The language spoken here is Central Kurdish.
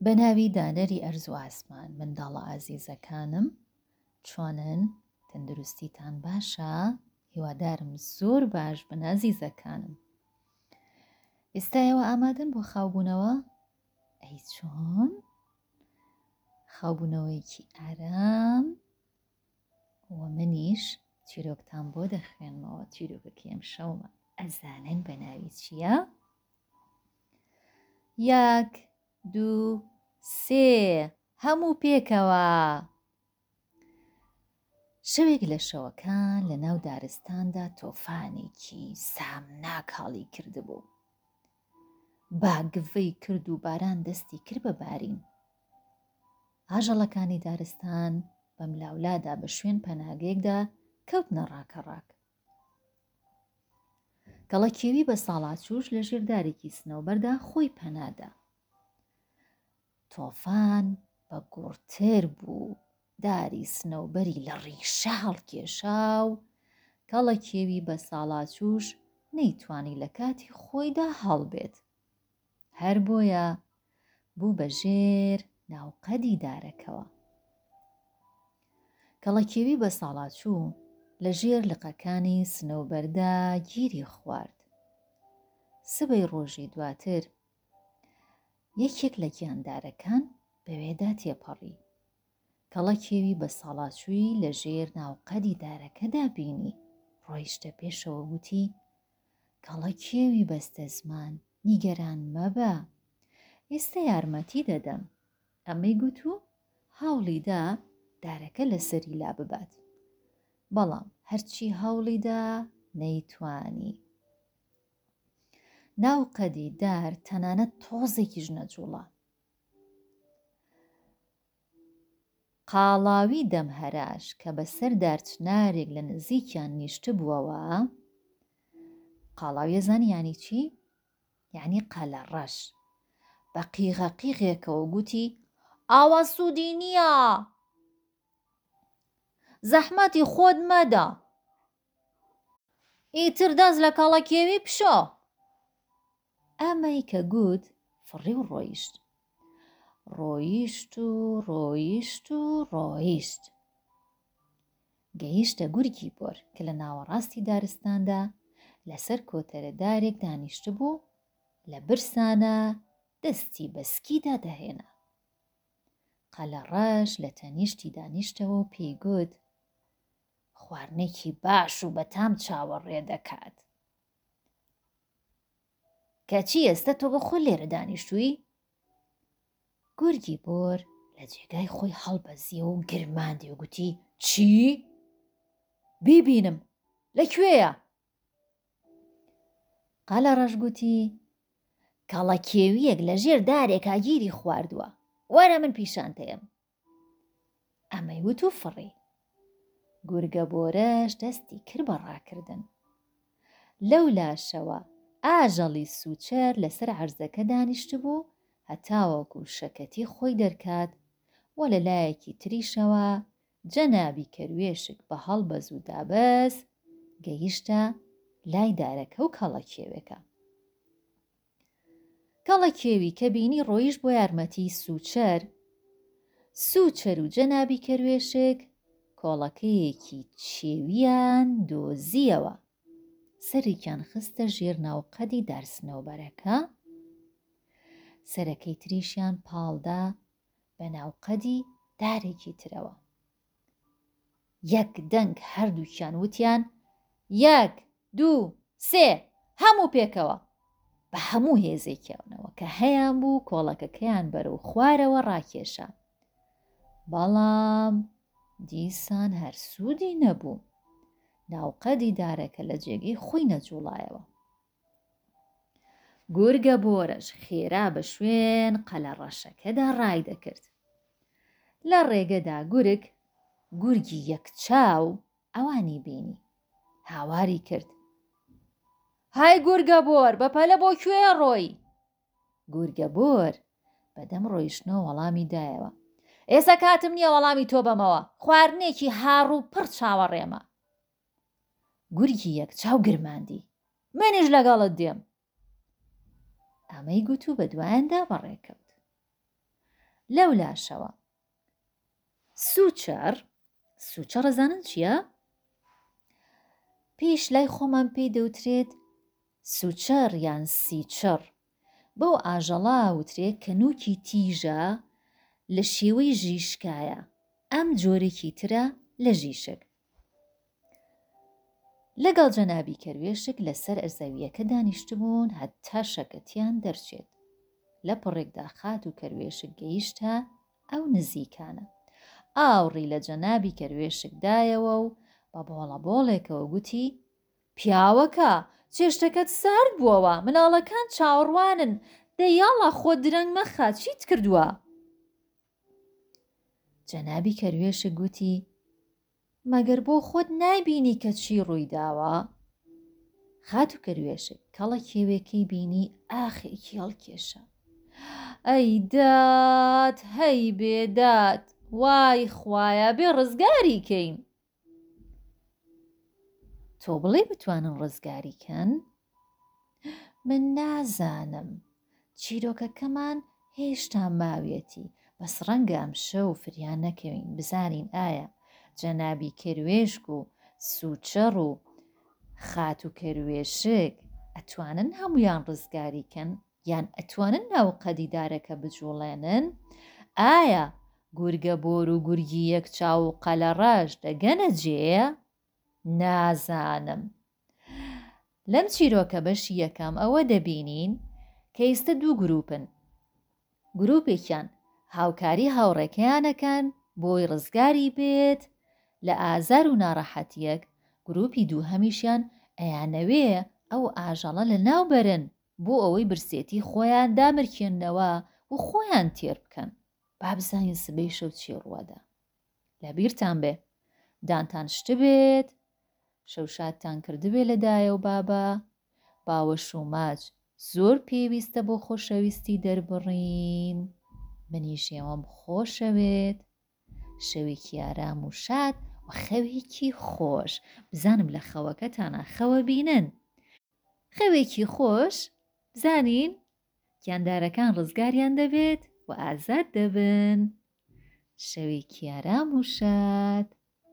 بە ناوی دانەری ئەرز و ئاسمان منداڵە ئازیزەکانم چۆنن تەندروستیتان باشە هیوادارم زۆر باش بن ئازیزەکانم ئێستا ئێوە ئامادەن بۆ خاوبوونەوە ئەی چۆن خاوبوونەوەیەکی ئارام و منیش چیرۆکتان بۆ دەخوێنمەوە چیرۆکەکەی ئەم شەومە ئەزانن بە ناوی چییە؟ یەک دوو سێ هەموو پێکەوە شەوێک لە شەوەکان لە ناو دارستاندا تۆفانێکی سامناک هەڵی کردبوو. با گڤەی کرد و باران دەستی کرد بە بارین. ئاژەڵەکانی دارستان بەملاولادا بە شوێن پەناگەیەکدا کەوتنە ڕاکەڕاک. کەڵەکێوی بە ساڵاچووش لە ژێر دارێکی سنەوبەردا خۆی پەنادا. تۆفان بە گوڕتر بوو، داری سنەوبەری لە ڕیشە هەڵکێشا و کەڵەکێوی بە ساڵاچووش نەیتوانی لە کاتی خۆیدا هەڵبێت. هەر بۆیە بوو بە ژێر ناوقەدی دارەکەوە. کەڵەکێوی بە ساڵاچوو لە ژێر لقەکانی سنەوبەردا گیری خوارد. سبەی ڕۆژی دواتر یەکێک لە گیاندارەکان بەوێدا تێپەڕی. کەڵەکێوی بە ساڵاچووی لە ژێر ناوقەدی دارەکەدا بینی، ڕۆیشتە پێشەوە وتی، کەڵەکێوی بەستەزمان، نیگەران مەبە، ئێستە یارمەتی دەدەم. ئەمەی گوت و هەوڵی دا دارەکە لە سەری لاببات. بەڵام هەرچی هەوڵی دا نەیتوانی. ناوقەدی دار تەنانەت تۆزێکیش نەجووڵا. قاڵاوی دەم هەراش کە بە سەر دارچنارێک لە نزیکیان نیشتبووەوە، قاڵاوی ئەزانی یانی چی؟ یانی قەلەڕەش. بە قیغە قیغێکەوە گوتی، ئاوا سوودی نییە! زەحمەتی خۆت مەدە! ئیتر دەست لە کەڵەکێوی بشۆ! ئەمەی کە گوت فڕی و ڕۆیشت. ڕۆیشت و ڕۆیشت و ڕۆیشت. گەیشتە گورگی بۆر کە لە ناوەڕاستی دارستاندا لەسەر کۆتەرە دارێک دانیشتبوو، لە برسانا دەستی بە سکیدا دەهێنا. قەلەڕەش لە تەنیشتی دانیشتەوە و پێی گوت، خواردنێکی باش و بەتام چاوەڕێ دەکات. کەچی ئێستە تۆ بە خۆ لێرە دانیشتووی؟ گورگی بۆر لە جێگای خۆی هەڵبەزیەوە و گرماندی و گوتی چی؟ بیبینم لە کوێیە؟ قەلەڕەش گوتی کەڵەکێوییەک لە ژێر دارێکا گیری خواردووە وەرە من پیشانتەیەم ئەمەی وت و فڕی. گورگە بۆرەش دەستی کرد بە ڕاکردن. لەو لاشەوە ئاژەڵی سووچەر لەسەر عەرزەکە دانیشتبوو هەتاوەکو شەکەتی خۆی دەرکات و لە لایەکی تریشەوە جەنابی کەروێشک بە هەڵبەز و دابەز گەیشتە لای دارەکە و کەڵەکێوێکە. کەڵەکێوی کە بینی ڕۆیشت بۆ یارمەتی سووچەر، سووچەر و جەنابی کەروێشک کۆڵەکەیەکی چێویان دۆزییەوە، سەرێکیان خستە ژێر ناوقەدی دارسنەوبەرەکە، سەرەکەی تریشیان پاڵدا بە ناوقەدی دارێکی ترەوە. یەک دەنگ هەردووکیان وتیان، یەک، دوو، سێ، هەموو پێکەوە! بە هەموو هێزێکیانەوە کە هەیان بوو کۆڵەکەکەیان بەرەو خوارەوە ڕاکێشا. بەڵام دیسان هەر سوودی نەبوو. ناوقەدی دارەکە لە جێگەی خۆی نەجووڵایەوە. گورگە بۆرەش خێرا بە شوێن قەلەڕەشەکەدا ڕایدەکرد. لە ڕێگەدا گورگ، گورگی یەک چاو، ئەوانی بینی. هاواری کرد. های گورگە بۆر، بەپەلە بۆ کوێ ڕۆی؟ گورگە بۆر بەدەم ڕۆیشتنەوە وەڵامی دایەوە. ئێستا کاتم نییە وەڵامی تۆ بەمەوە، خواردنێکی هاڕ و پڕ چاوەڕێمە. گورگی یەک چاو گرماندی. منیش لەگەڵت دێم. ئەمەی گوت و بە دوایاندا بەڕێکەوت. لەولاشەوە سوچەڕ، سوچەڕ ئەزانن چییە؟ پێش لای خۆمان پێی دەوترێت سوچەڕ یان سیچڕ. بەو ئاژەڵە وترێ کە نوکی تیژە لە شێوەی ژیشکایە، ئەم جۆرێکی ترە لە ژیشک. لەگەڵ جەنابی کەروێشک لەسەر زەوییەکە دانیشتبوون هەتا شەکەتیان دەرچێت. لە پڕێکدا خاتوو کەروێشک گەیشتە ئەو نزیکانە. ئاوڕی لە جەنابی کەروێشک دایەوە و بە بۆڵەبۆڵێکەوە گوتی، پیاوەکە، چێشتەکەت سارد بووەوە، مناڵەکان چاوەڕوانن، دە یاڵا خۆت درەنگ مەخە، چیت کردووە؟ جەنابی کەروێشک گوتی، مەگەر بۆ خۆت نایبینی کە چی ڕووی داوە؟ خاتوو کەروێشک کەڵە کێوێکەی بینی ئاخێکی هەڵکێشا. ئەی داد، هەی بێداد، وای خوایە بێ ڕزگاری کەین. تۆ بڵێی بتوانن ڕزگاری کەن؟ من نازانم. چیرۆکەکەمان هێشتا ماویەتی، بەس ڕەنگە ئەمشەو فریا نەکەوین بزانین ئایا جەنابی کەروێشک و سوچەڕ و خاتوو کەروێشک ئەتوانن هەموویان ڕزگاری کەن یان ئەتوانن ناوقەدی دارەکە بجوڵێنن؟ ئایا گورگە بۆر و گورگی یەک چاو و قەلەڕەش دەگەنە جێ؟ نازانم. لەم چیرۆکە بەشی یەکەم ئەوە دەبینین کە ئیستە دوو گروپن. گروپێکیان هاوکاری هاوڕێکەیان ئەکەن بۆی ڕزگاری بێت لە ئازار و ناڕەحەتیەک، گروپی دووهەمیشیان ئەیانەوێ ئەو ئاژەڵە لەناو بەرن بۆ ئەوەی برسێتی خۆیان دامرکێننەوە و خۆیان تێر بکەن. با بزانین سبەی شەو چی ڕووەدا. لەبیرتان بێ دانتان شتبێت، شەوشادتان کردبێ لە دایە و بابە، باوەش و ماچ زۆر پێویستە بۆ خۆشەویستی دەربڕین. منیش ئێوەم خۆشەوێت. شەوێکی ئارام و شاد و خەوێکی خۆش. بزانم لە خەوەکەتانا خەوە بینن. خەوێکی خۆش بزانین گیاندارەکان ڕزگاریان دەبێت و ئازاد دەبن. شەوێکی ئارام و شاد.